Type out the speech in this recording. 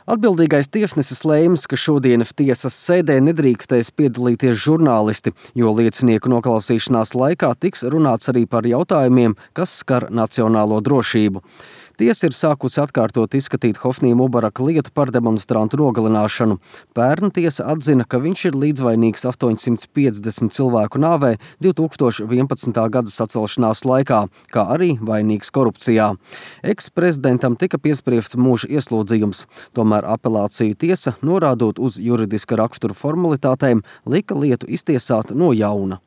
Atbildīgais tiesnesis lēms, ka šodienas tiesas sēdē nedrīkstēs piedalīties žurnālisti, jo liecinieku noklausīšanās laikā tiks runāts arī par jautājumiem, kas skar nacionālo drošību. Tiesa ir sākusi atkārtot izskatīt Hosnī Mubaraka lietu par demonstrantu nogalināšanu. Pērn tiesa atzina, ka viņš ir līdzvainīgs 850 cilvēku nāvē 2011. gada sacelšanās laikā, kā arī vainīgs korupcijā. Eksprezidentam tika piespriests mūža ieslodzījums, tomēr apelāciju tiesa, norādot uz juridiska rakstura formalitātēm, lika lietu iztiesāt no jauna.